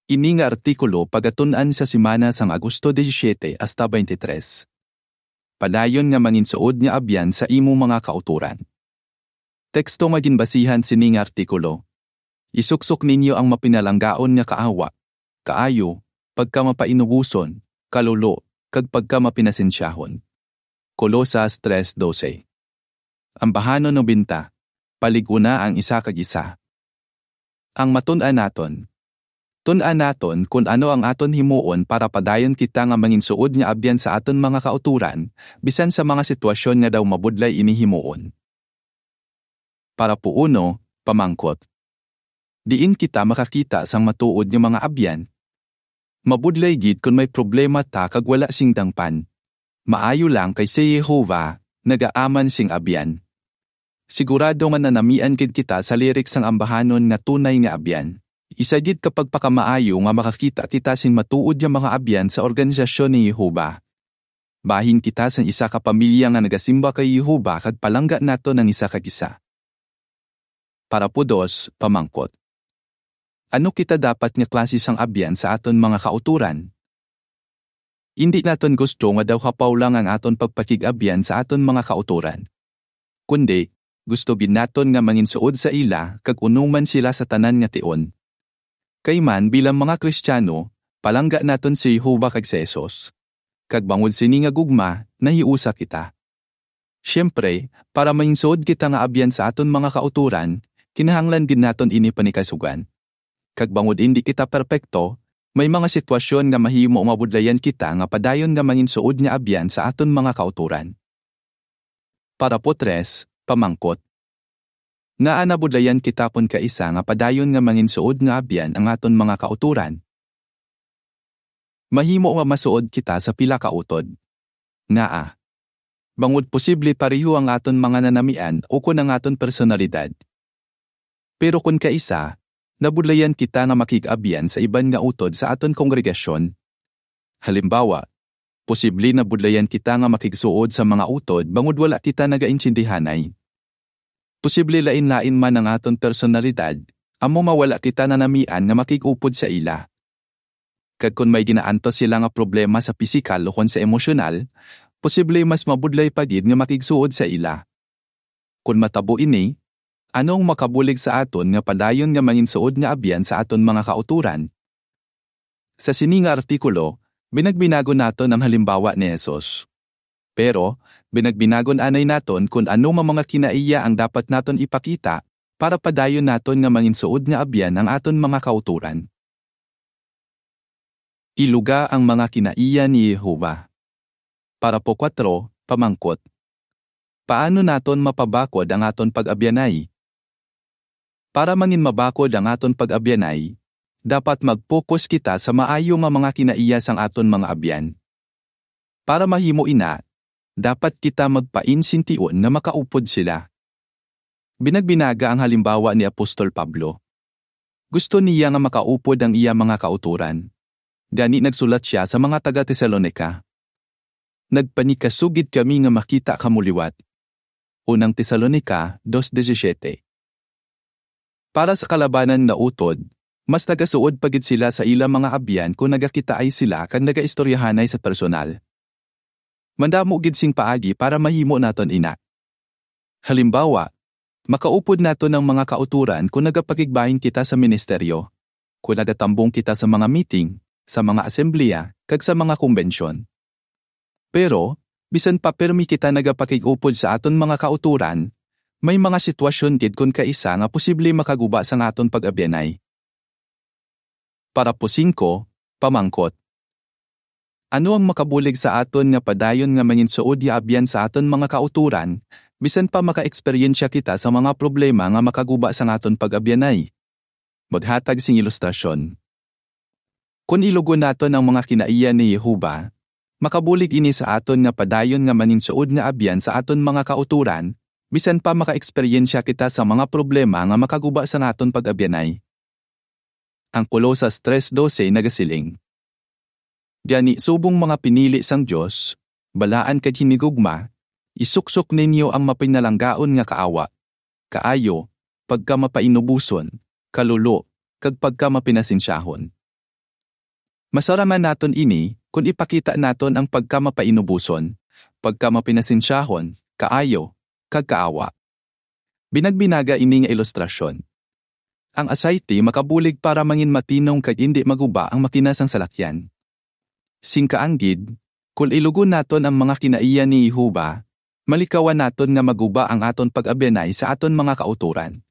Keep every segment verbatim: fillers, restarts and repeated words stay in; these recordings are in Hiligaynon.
Ini nga artikulo pagatun-an sa semana sang Agosto disisiete hasta twenty-three. Padayon nga manginsuod nga abyan sa imo mga kautoran. Teksto nga ginbasihan sini nga artikulo: Isuksok ninyo ang mapinalanggaon nga kaawa, kaayo, pagkamapainuboson, kalulo, kag pagkamapinasensyahon. Colosas tres doce. Ambahanon nobenta. Palig-una ang isa kag isa. Ang matun-an naton. Tun-an naton kon ano ang aton himuon para padayon kita nga manginsuod nga abyan sa aton mga kautoran, bisan sa mga sitwasyon nga daw mabudlay ini himuon. Parapo uno, pamangkot. Diin kita makakita sang matuod nga mga abyan? Mabudlay gid kon may problema ta kag wala sing dangpan. Maayo lang kay si Jehovah nagaaman sing abyan. Sigurado nga nanamian gid kita sa lirik sang ambahanon nga tunay nga abyan. Isa gid ka pagpakamaayo nga makakita kita sing matuod nga mga abyan sa organisasyon ni Jehovah. Bahin kita sang isa ka pamilya nga nagasimba kay Jehovah kag palangga naton ang isa kag isa. Parapo dos, pamangkot. Ano kita dapat nga klase sang abyan sa aton mga kautoran? Indi naton gusto nga daw hapaw lang ang aton pagpakig-abyan sa aton mga kautoran. Kundi, gusto gid naton nga manginsuod sa ila kag unuman sila sa tanan nga tion. Kay man, bilang mga Kristiano, palangga naton si Jehovah kag si Jesus. Kag bangod sini nga gugma, nahiusa kita. Siyempre, para manginsuod kita nga abyan sa aton mga kautoran, kinahanglan gid naton ini panikasugan. Kag bangod indi kita perpekto, may mga sitwasyon nga mahimo mabudlayan kita nga padayon nga manginsuod nga abyan sa aton mga kautoran. Parapo tres, pamangkot. Ngaa nabudlayan kita kon kaisa nga padayon nga manginsuod nga abyan ang aton mga kautoran? Mahimo nga masuod kita sa pila ka utod. Ngaa? Bangod posible pareho ang aton mga nanamian ukon ang aton personalidad. Pero kon kaisa, nabudlayan kita nga makig-abyan sa iban nga utod sa aton kongregasyon. Halimbawa, posible nabudlayan kita nga makigsuod sa mga utod bangod wala kita nagaintindihanay. Posible lain-lain man ang aton personalidad, amo nga wala kita nanamian nga makig-upod sa ila. Kag kon may ginaantos sila nga problema sa pisikal ukon sa emosyonal, posible mas mabudlay pa gid nga makigsuod sa ila. Kon matabo ini, ano ang makabulig sa aton nga padayon nga manginsuod nga abyan sa aton mga kautoran? Sa sini nga artikulo, binagbinagon naton ang halimbawa ni Jesus. Pero, binagbinagon anay naton kon ano nga mga kinaiya ang dapat naton ipakita para padayon naton nga manginsuod nga abyan ang aton mga kautoran. Iluga ang mga kinaiya ni Jehovah. Parapo kuwatro, pamangkot. Paano naton mapabakod ang aton pag-abyanay? Para manginmabakod ang aton pag-abyanay, dapat mag-focus kita sa maayo nga mga kinaiya sang aton mga abyan. Para mahimo ina, dapat kita magpainsintion nga makaupod sila. Binagbinaga ang halimbawa ni Apostol Pablo. Gusto niya nga makaupod ang iya mga kautoran. Gani nagsulat sia sa mga taga-Tesalonica: "Nagpanikasugid kami nga makita kamo liwat." Unang Tesalonica dos disisiete. Para sa kalabanan nga utod, mas nagasuod pa gid sila sa ila mga abyan kon nagakitaay sila kag nagaistoryahanay sa personal. Mandamo gid sing paagi para mahimo naton ina. Halimbawa, makaupod naton ang mga kautoran kon nagapakigbahin kita sa ministeryo, kon nagatambong kita sa mga meeting, sa mga asembleya, kag sa mga kumbensyon. Pero, bisan pa pirmi kita nagapakig-upod sa aton mga kautoran, may mga sitwasyon gid kon kaisa nga posible makaguba sang aton pag-abyanay. Parapo singko, pamangkot. Ano ang makabulig sa aton nga padayon nga manginsuod nga abyan sa aton mga kautoran, bisan pa maka-eksperyensya kita sa mga problema nga makaguba sang aton pag-abyanay? Maghatag sing ilustrasyon. Kon ilugon naton ang mga kinaiya ni Jehovah, makabulig ini sa aton nga padayon nga manginsuod nga abyan sa aton mga kautoran, bisan pa maka-eksperyensya kita sa mga problema nga makaguba sa naton pag-abyanay. Ang Colosas tres doce nagasiling: Gani, subong mga pinili sang Dios, balaan kag hinigugma, isuksok ninyo ang mapinalanggaon nga kaawa, kaayo, pagkamapainuboson, kalulo, kag pagkamapinasensyahon. Masaraman naton ini kon ipakita naton ang pagkamapainuboson, pagkamapinasensyahon, kaayo, kag kaawa. Binagbinaga ini nga ilustrasyon. Ang asayti makabulig para manginmatinong kag indi maguba ang makina sang salakyan. Sing kaanggid, kung ilugon naton ang mga kinaiya ni Jehovah, malikawan naton nga maguba ang aton pag-abyanay sa aton mga kautoran.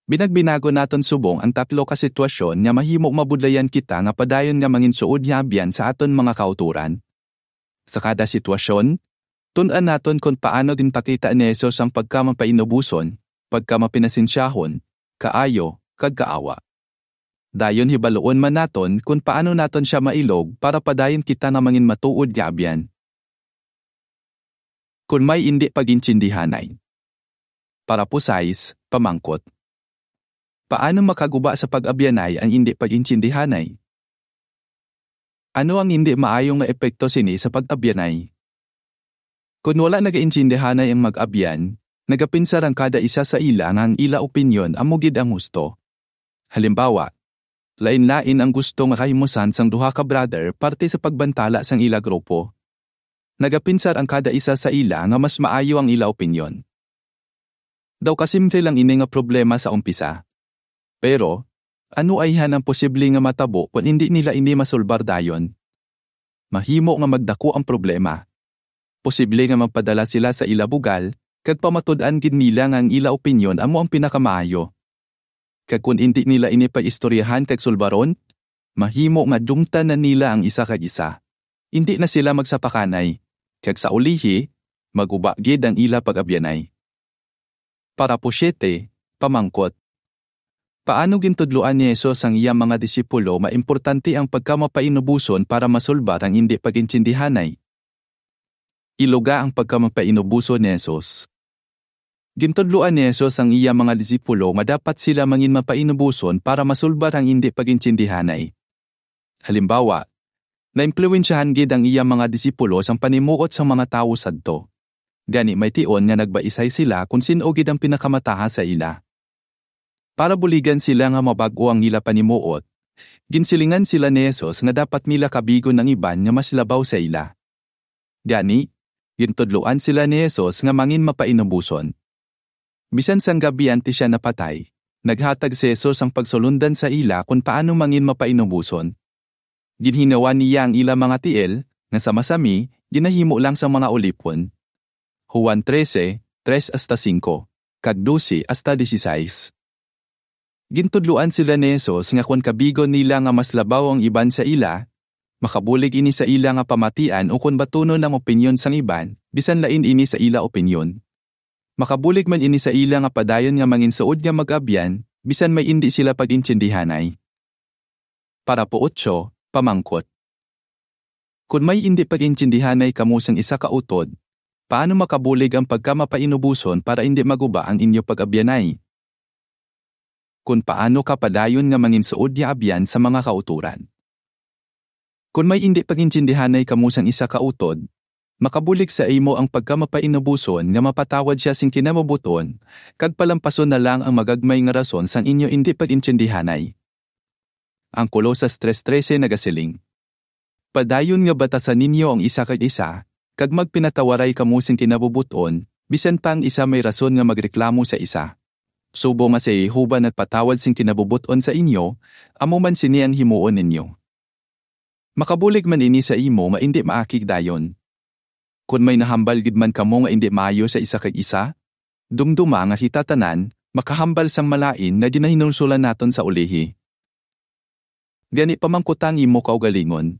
Binagbinagon naton subong ang tatlo ka sitwasyon nga mahimo mabudlayan kita nga padayon nga manginsuod nga abyan sa aton mga kautoran. Sa kada sitwasyon, tun-an naton kon paano ginpakita ni Jesus ang pagkamapainuboson, pagkamapinasensyahon, kaayo, kag kaawa. Dayon hibaluon man naton kon paano naton sia mailog para padayon kita nga manginmatuod nga abyan. Kon may indi pag-intindihanay. Parapo sais, pamangkot. Paano makaguba sa pag-abyanay ang indi pag-intindihanay? Ano ang indi maayo nga epekto sini sa pag-abyanay? Kon wala nagaintindihanay ang mag-abyan, nagapinsar ang kada isa sa ila nga ang ila opinyon amo gid ang husto. Halimbawa, lain-lain ang gusto nga kahimusan sang duha ka brother parte sa pagbantala sang ila grupo. Nagapinsar ang kada isa sa ila nga mas maayo ang ila opinyon. Daw kasimple lang ini nga problema sa umpisa. Pero, ano ayhan ang posible nga matabo kon indi nila ini masulbar dayon? Mahimo nga magdako ang problema. Posible nga magpadala sila sa ila bugal, kag pamatud-an gid nila nga ang ila opinyon amo ang pinakamaayo. Kag kon indi nila ini pag-istoryahan kag sulbaron, mahimo nga dumtan na nila ang isa kag isa. Indi na sila magsapakanay, kag sa ulihi, maguba gid ang ila pag-abyanay. Parapo siete, pamangkot. Paano gintudloan ni Jesus ang iya mga disipulo nga importante ang pagkamapainuboson para masulbar ang indi pag-intindihanay? Iluga ang pagkamapainuboson ni Jesus. Gintudloan ni Jesus ang iya mga disipulo nga dapat sila manginmapainuboson para masulbar ang indi pag-intindihanay. Halimbawa, naimpluwensyahan gid ang iya mga disipulo sang panimuot sang mga tawo sadto. Gani may tion nga nagbaisay sila kon sin-o gid ang pinakamataas sa ila. Para buligan sila nga mabag-o ang ila panimuot, ginsilingan sila ni Jesus nga dapat nila kabigon ang iban nga mas labaw sa ila. Gani, gintudloan sila ni Jesus nga manginmapainuboson. Bisan sang gab-i antes sia napatay, naghatag si Jesus sang pagsulondan sa ila kon paano manginmapainuboson. Ginhinawan niya ang ila mga tiil, nga sa masami, ginahimo lang sang mga ulipon. Juan trese, tres hasta singko, kag dose hasta disisais. Gintudloan sila ni Jesus nga kon kabigon nila nga mas labaw ang iban sa ila, makabulig ini sa ila nga pamatian ukon batunon ang opinyon sang iban, bisan lain ini sa ila opinyon. Makabulig man ini sa ila nga padayon nga manginsuod nga mag-abyan, bisan may indi sila pag-intiendihanay. Parapo otso, pamangkot. Kon may indi pag-intiendihanay kamo sang isa ka utod, paano makabulig ang pagkamapainuboson para indi maguba ang inyo pag-abyanay? Kon paano ka padayon nga manginsuod nga abyan sa mga kautoran? Kon may indi pag-intiendihanay kamo sang isa ka utod, makabulig sa imo ang pagkamapainuboson nga mapatawad sia sing kinabubot-on, kag palampason na lang ang magagmay nga rason sang inyo indi pag-intiendihanay. Ang Colosas tres trese nagasiling, "Padayon nga batasan ninyo ang isa kag isa, kag magpinatawaray kamo sing kinabubot-on, bisan pa ang isa may rason nga magreklamo sa isa. Subong nga si Jehovah nagpatawad sing kinabubot-on sa inyo, amo man sini ang himuon ninyo." Makabulig man ini sa imo nga indi maakig dayon. Kon may nahambal gid man kamo nga indi maayo sa isa kag isa, dumduma nga kita tanan makahambal sang malain nga ginahinulsolan naton sa ulihi. Gani, pamangkuta ang imo kaugalingon,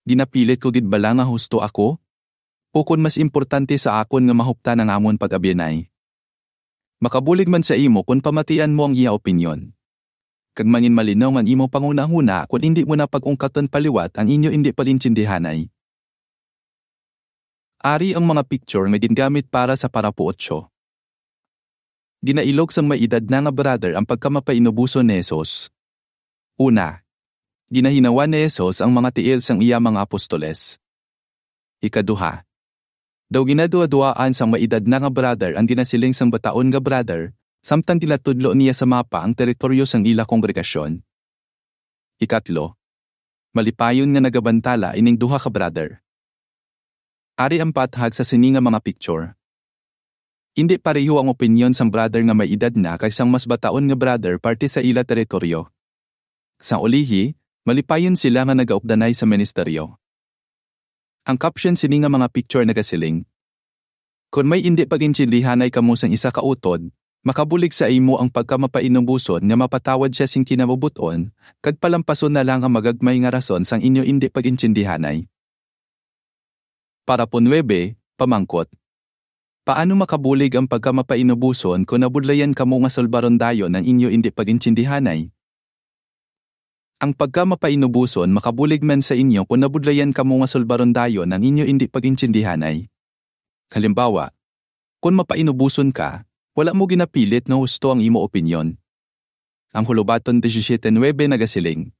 "Ginapilit ko gid bala nga husto ako? Ukon mas importante sa akon nga mahuptan ang amon pag-abyanay?" Makabulig man sa imo kon pamatian mo ang iya opinyon. Kag manginmalinaw ang imo panghunahuna kon indi mo na pag-ungkaton pa liwat ang inyo indi pag-intiendihanay. Ari ang mga picture nga gingamit para sa parapo otso. Ginailog sang may edad na nga brother ang pagkamapainuboson ni Jesus. Una, ginahinawan ni Jesus ang mga tiil sang iya mga apostoles. Ikaduha, daw ginaduhaduhaan sang may edad na nga brother ang ginasiling sang bataon nga brother, samtang ginatudlo niya sa mapa ang teritoryo sang ila kongregasyon. Ikatlo, malipayon nga nagabantala ining duha ka brother. Ari ang pathag sa sini nga mga picture. Indi pareho ang opinyon sang brother nga may edad na kag sang mas bataon nga brother parte sa ila teritoryo. Sa ulihi, malipayon sila nga nagaupdanay sa ministeryo. Ang caption sini nga mga picture nagasiling, "Kon may indi pag-intindihanay kamo sang isa ka utod, makabulig sa imo ang pagkamapainuboson nga mapatawad sia sing kinabubut-on, kag palampason na lang ang magagmay nga rason sang inyo indi pag-intindihanay." Parapo nuebe, pamangkot. Paano makabulig ang pagkamapainuboson kon nabudlayan kamo nga sulbaron dayon ang inyo indi pag-intindihanay? Ang pagkamapainuboson makabulig man sa inyo kon nabudlayan kamo nga sulbaron dayon ang inyo indi pag-intindihanay. Halimbawa, kon mapainuboson ka, wala mo ginapilit nga husto ang imo opinyon. Ang Hulubaton disisiete nuebe nagasiling,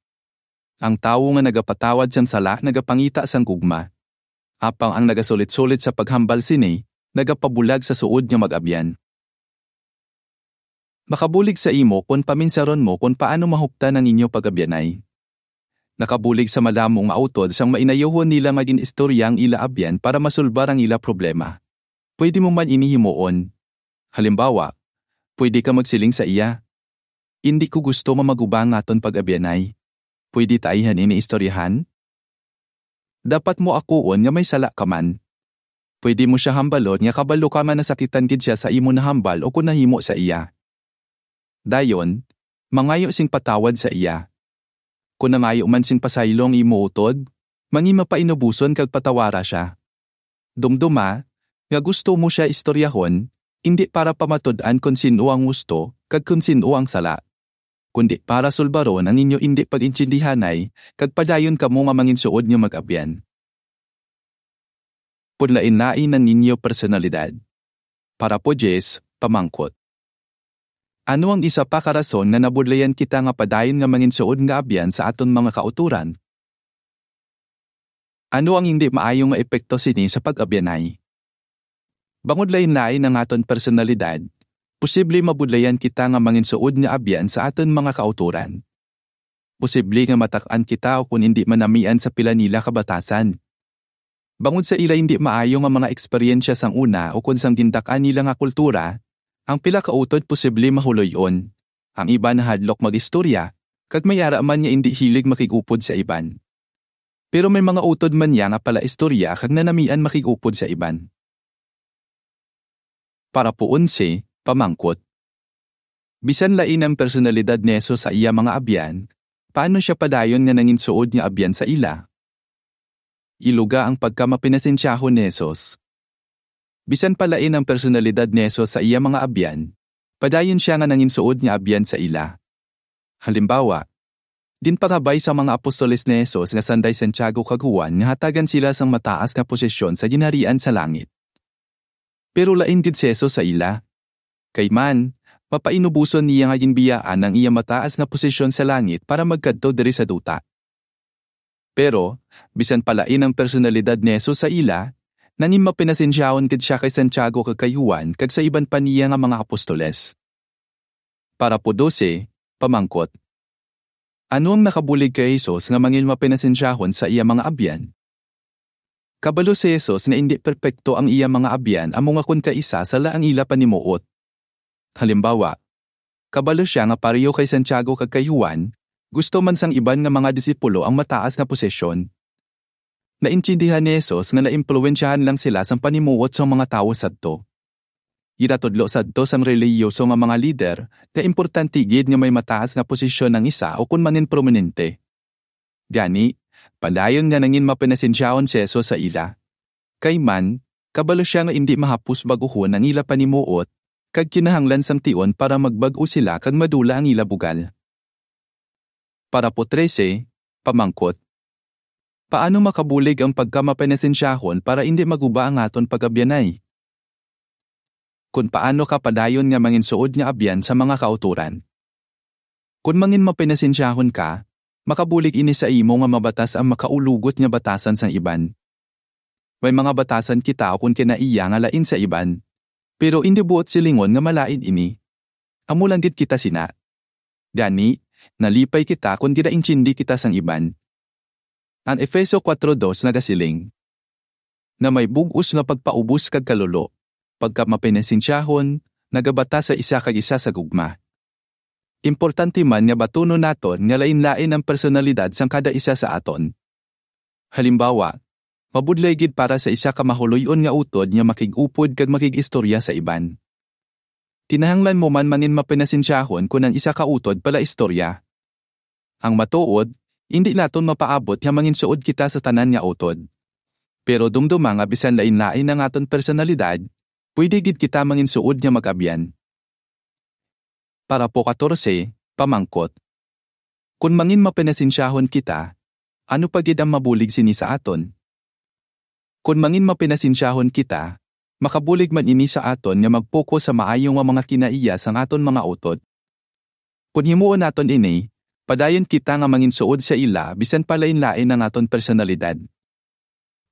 "Ang tawo nga nagapatawad sang sala nagapangita sang gugma, apang ang nagasulit-sulit sa paghambal sini nagapabulag sa suod nga mag-abyan." Makabulig sa imo kon paminsaron mo kon paano mahuptan ang inyo pag-abyanay. Nakabulig sa madamo nga utod sang mainayuhon nila nga gin-istorya ang ila abyan para masulbar ang ila problema. Pwede mo man ini himuon. Halimbawa, pwede ka magsiling sa iya, "Indi ko gusto nga maguba ang aton pag-abyanay. Pwede ta ayhan ini istoryahan?" Dapat mo akuon nga may sala ka man. Pwede mo sia hambalon nga kabalo ka nga nasakitan gid sia sa imo nahambal o kon nahimo sa iya. Dayon, mangayo sing patawad sa iya. Kon nangayo man sing pasaylo ang imo utod, manginmapainuboson kag patawara sia. Dumdoma nga gusto mo sia istoryahon, indi para pamatud-an kon sin-o ang husto kag kon sin-o ang sala, kundi para sulbaron ang inyo indi pag-intindihanay kag padayon kamo nga manginsuod nga mag-abyan. Paglain-lain ang inyo personalidad. Parapo diyes, pamangkot. Ano ang isa pa ka rason nga nabudlayan kita nga padayon nga manginsuod nga abyan sa aton mga kautoran? Ano ang hindi maayo nga epekto sini sa pag-abyanay? Bangod lain-lain ang aton personalidad, posible mabudlayan kita nga manginsuod nga abyan sa aton mga kautoran. Posible nga matak-an kita o kon indi manamian sa pila nila ka batasan. Bangod sa ila indi maayo nga mga eksperyensya sang una o kon sang gindak-an nila nga kultura, ang pila ka utod posible mahuloy-on. Ang iban nahadlok mag-istorya, kag may ara man nga indi hilig makig-upod sa iban. Pero may mga utod man niya nga palaistorya kag nanamian makig-upod sa iban. Parapo onse, pamangkot. Bisan lain ang personalidad ni Jesus sa iya mga abyan, paano sia padayon nga nanginsuod nga abyan sa ila? Iluga ang pagkamapinasensyahon ni Jesus. Bisan pa lain ang personalidad ni Jesus sa iya mga abyan, padayon sia nga nanginsuod nga abyan sa ila. Halimbawa, ginpangabay sa mga apostoles ni Jesus nga sanday Santiago kag Juan nga hatagan sila sang mataas nga posisyon sa Ginharian sa langit. Pero lain gid si Jesus sa ila. Kay man, mapainuboson niya nga ginbiyaan ang iya mataas nga posisyon sa langit para magkadto diri sa duta. Pero, bisan pa lain ang personalidad ni Jesus sa ila, nanginmapinasensyahon gid sia kay Santiago kag kay Juan kag sa iban pa niya nga mga apostoles. Parapo dose, pamangkot. Ano ang nakabulig kay Jesus nga manginmapinasensyahon sa iya mga abyan? Kabalo si Jesus nga indi perpekto ang iya mga abyan, amo nga kon kaisa sala ang ila panimuot. Halimbawa, kabalo sia nga pareho kay Santiago kag kay Juan, gusto man sang iban nga mga disipulo ang mataas nga posisyon. Naintindihan ni Jesus nga naimpluwensyahan lang sila sang panimuot sang mga tawo sadto. Ginatudlo sadto sang relihiyoso nga mga lider nga importante gid nga may mataas nga posisyon ang isa o kon manginprominente. Gani, padayon nga nanginmapinasensyahon si Jesus sa ila. Kay man, kabalo sia nga indi mahapos bag-uhon ang ila panimuot, kag kinahanglan sang tion para magbag-o sila kag madula ang ila bugal. Parapo trese, pamangkot. Paano makabulig ang pagkamapinasensyahon para indi maguba ang aton pag-abyanay? Kon paano ka padayon nga manginsuod nga abyan sa mga kautoran? Kon manginmapinasensyahon ka, makabulig ini sa imo nga mabatas ang makaulugot nga batasan sang iban. May mga batasan kita kon kinaiya nga lain sa iban, pero indi buot silingon nga malain ini. Amo lang gid kita sina. Gani, nalipay kita kon ginaintindi kita sang iban. Ang Efeso kuwatro dos nagasiling, nga may bug-os nga pagpaubos kag kalolo, pagka mapenansensyahon, nagabata sa isa kag isa sa gugma. Importante man nga batunon naton nga lain-lain ang personalidad sang kada isa sa aton. Halimbawa, mabudlay gid para sa isa ka mahuloy-on nga utod nga makig-upod kag makig-istorya sa iban. Kinahanglan mo man mangin mapenansensyahon kon ang isa ka utod palaistorya. Ang matuod, indi naton mapaabot nga manginsuod kita sa tanan nga utod. Pero dumduma nga bisan lain-lain ang aton personalidad, pwede gid kita manginsuod nga mag-abyan. Parapo katorse, pamangkot. Kon mangin mapenansensyahon kita, ano pa gid ang mabulig sini sa aton? Kon mangin mapenansensyahon kita, makabulig man ini sa aton nga mag-focus sa maayo nga mga kinaiya sang aton mga utod. Kon himuon naton ini, padayon kita nga manginsuod sa ila bisan pa lain-lain ang aton personalidad.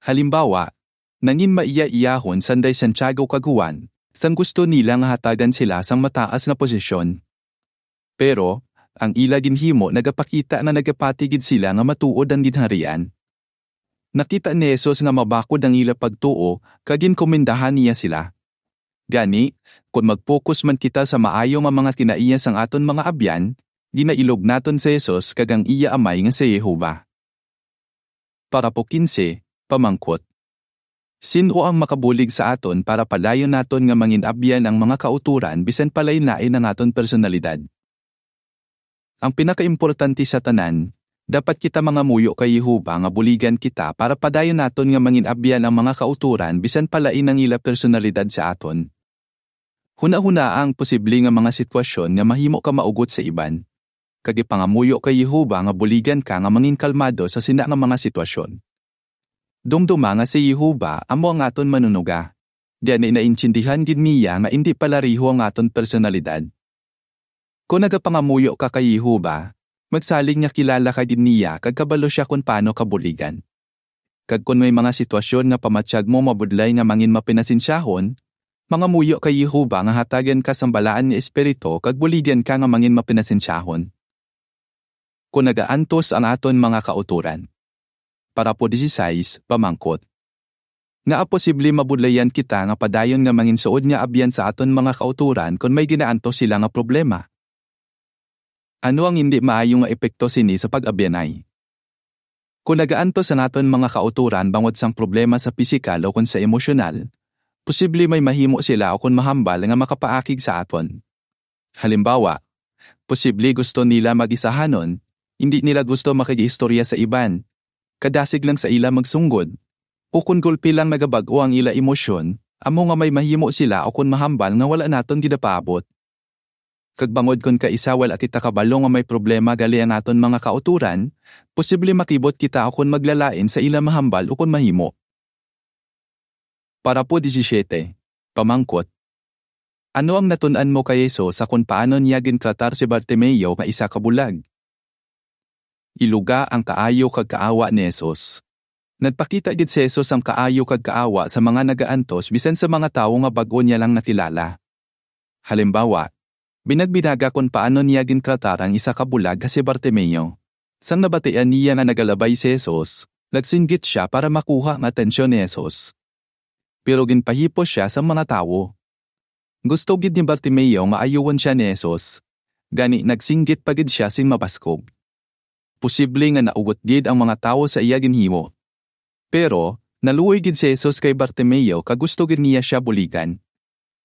Halimbawa, nangin maiya-iyahon sanday Santiago kag Juan, sang gusto nila nga hatagan sila sang mataas nga posisyon. Pero, ang ila ginhimo nagapakita nga nagapati gid sila nga matuod ang ginharian. Nakita ni Jesus nga mabakod ang ila pagtuo, kag ginkomendahan niya sila. Gani, kon mag-focus man kita sa maayo nga mga kinaiya sang aton mga abyan, ginailog naton si Jesus kag ang iya Amay nga si Jehovah. Parapo kinse, pamangkot. Sin-o ang makabulig sa aton para padayon naton nga mangin-abyan ang mga kautoran bisan pa lain-lain ang aton personalidad? Ang pinakaimportante sa tanan, dapat kita mangamuyo kay Jehovah nga buligan kita para padayon naton nga mangin-abyan ang mga kautoran bisan pa lain ang ila personalidad sa aton. Hunahunaa ang posible nga mga sitwasyon nga mahimo ka maugot sa iban, kag ipangamuyo kay Jehovah nga buligan ka nga mangin kalmado sa sina nga mga sitwasyon. Dumduma nga si Jehovah amo ang aton Manunuga, gani naintindihan gid niya nga indi palareho ang aton personalidad. Kon nagapangamuyo ka kay Jehovah, magsalig nga kilala ka gid niya kag kabalo sia kon paano ka buligan. Kag kon may mga sitwasyon nga pamatyag mo mabudlay nga mangin mapenansensyahon, mangamuyo kay Jehovah nga hatagan ka sang balaan nga espiritu kag buligan ka nga mangin mapenansensyahon. Kon nagaantos ang aton mga kautoran. Parapo disisais, pamangkot. Ngaa posible mabudlayan kita nga padayon nga manginsuod nga abyan sa aton mga kautoran kon may ginaantos sila nga problema? Ano ang indi maayo nga epekto sini sa pag-abyanay? Kon nagaantos ang aton mga kautoran bangod sang problema sa pisikal o kon sa emosyonal, posible may mahimo sila o kon mahambal nga makapaakig sa aton. Halimbawa, posible gusto nila mag-isahanon, indi nila gusto makig-istorya sa iban, kadasig lang sa ila magsunggod, o kon gulpi lang nagabag-o ang ila emosyon, amo nga may mahimo sila o kon mahambal nga wala naton ginapaabot. Kag bangod kon kaisa wala kita kabalo nga may problema gali ang aton mga kautoran, posible makibot kita o kon maglalain sa ila mahambal o kon mahimo. Parapo disisiete, pamangkot. Ano ang natun-an mo kay Jesus sa kon paano niya gintratar si Bartimeo nga isa ka bulag? Iluga ang kaayo kag kaawa ni Jesus. Nagpakita gid si Jesus ang kaayo kag kaawa sa mga nagaantos bisan sa mga tawo nga bag-o niya lang nakilala. Halimbawa, binagbinaga kon paano niya gintratar ang isa ka bulag nga si Bartimeo. Sang nabatian niya nga nagalabay si Jesus, nagsinggit sia para makuha ang atensyon ni Jesus. Pero ginpahipos sia sang mga tawo. Gusto gid ni Bartimeo nga ayuhon sia ni Jesus, gani nagsinggit pa gid sia sing mabaskog. Posible nga naugot gid ang mga tawo sa iya ginhimo. Pero, naluoy gid si Jesus kay Bartimeo kag gusto gid niya sia buligan.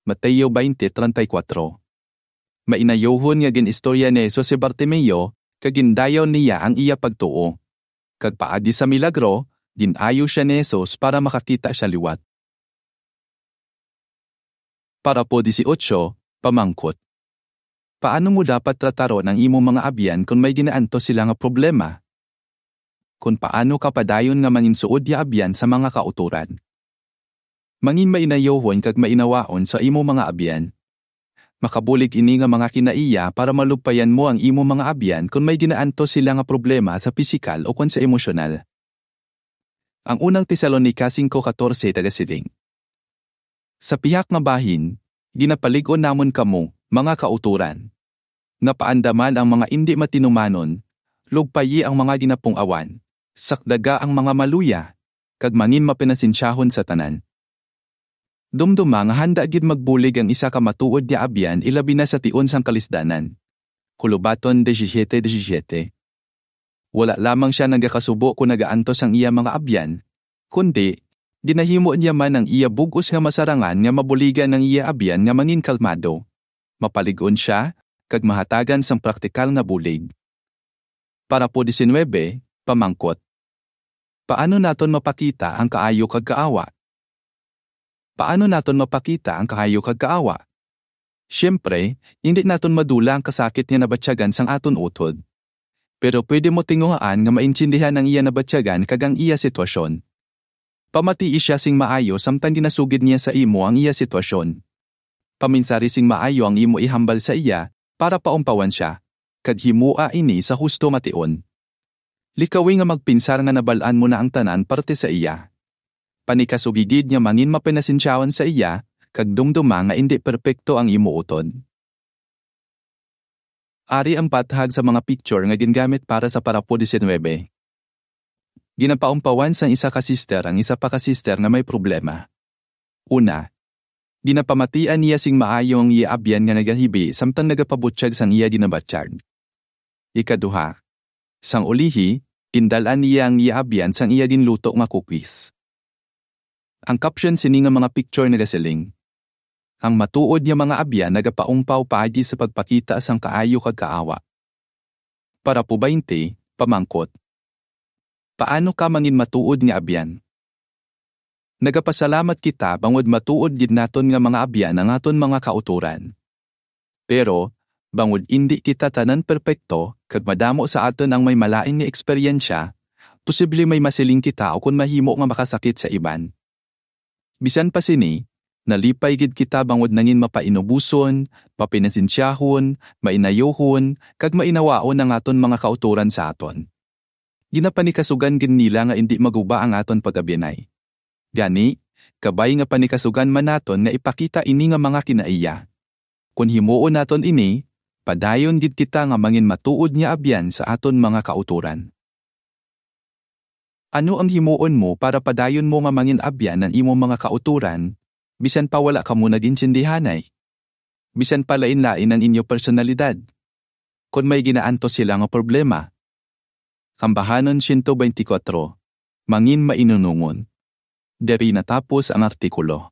Mateo twenty treinta y cuatro. Mainayuhon nga gin-istorya ni Jesus si Bartimeo, kag gindayaw niya ang iya pagtuo. Kag paagi sa milagro, gin-ayo sia ni Jesus para makakita sia liwat. Parapo dieciocho, pamangkot. Paano mo dapat trataron ang imo mga abyan kon may ginaantos sila nga problema? Kon paano ka padayon nga manginsuod ya abyan sa mga kautoran? Mangin-mainayuhon kag mainawaon sa imo mga abyan. Makabulig ini nga mga kinaiya para malugpayan mo ang imo mga abyan kon may ginaantos sila nga problema sa pisikal o kon sa emosyonal. Ang unang Tesalonica cinco catorce nagasiling, "Sa pihak nga bahin, ginapalig-on namon kamo, mga kautoran, nga paandaman ang mga indi matinumanon, lugpayi ang mga ginapung-awan, sakdaga ang mga maluya, kag mangin mapinasensyahon sa tanan. Dumduma nga handa gid magbulig ang isa ka matuod nga abyan, ilabi na sa tion sang kalisdanan. Kulubaton disisiete disisiete. Wala lamang sia nagakasubo kon nagaantos ang iya mga abyan, kundi ginahimo niya man ang iya bug-os nga masarangan nga mabuligan ang iya abyan nga mangin kalmado, mapalig-on sia, kag mahatagan sang praktikal nga bulig. Parapo diecinuebe, pamangkot. Paano naton mapakita ang kaayo kag kaawa? Paano naton mapakita ang kaayo kag kaawa? Siyempre, indi naton madula ang kasakit nga nabatyagan sang aton utod. Pero pwede mo tinguhaan nga maintindihan ang iya nabatyagan kag ang iya sitwasyon. Pamatii sia sing maayo samtang ginasugid niya sa imo ang iya sitwasyon. Paminsari sing maayo ang imo ihambal sa iya para paumpawan sia, kag himoa ini sa husto nga tion. Likawi nga magpinsar nga nabal-an mo na ang tanan parte sa iya. Panikasugi gid nga mangin mapinasensyahon sa iya, kag dumduma nga indi perpekto ang imo utod. Ari ang pathag sa mga picture nga gingamit para sa parapo diecinuebe. Ginapaumpawan sang isa ka sister ang isa pa ka sister nga may problema. Una, ginapamatian niya sing maayo ang iya abyan nga nagahibi samtang nagapabutyag sang iya ginabatyag. Ikaduha, sang ulihi, gindal-an niya ang iya abyan sang iya ginluto nga cookies. Ang caption sini nga mga picture nagasiling, "Ang matuod nga mga abyan nagapaumpaw paagi sa pagpakita sang kaayo kag kaawa." Parapo baynte, pamangkot. Paano ka mangin matuod nga abyan? Nagapasalamat kita bangod matuod gid naton nga mga abyan ang aton mga kautoran. Pero, bangod indi kita tanan perpekto kag madamo sa aton ang may malain nga eksperyensya, posible may masiling kita ukon mahimo nga makasakit sa iban. Bisan pa sini, nalipay gid kita bangod nangin mapainuboson, mapinasensyahon, mainayuhon, kag mainawaon ang aton mga kautoran sa aton. Ginapanikasugan gid nila nga indi maguba ang aton pag-abyanay. Gani, kabay nga panikasugan man naton nga ipakita ini nga mga kinaiya. Kon himuon naton ini, padayon gid kita nga mangin matuod nga abyan sa aton mga kautoran. Ano ang himuon mo para padayon mo nga mangin abyan ang imo mga kautoran, bisan pa wala kamo nag-intindihanay? Bisan pa lain-lain ang inyo personalidad? Kon may ginaantos sila nga problema. Ambahanon siyento beintikwatro, mangin mainunongon. Diri natapos ang artikulo.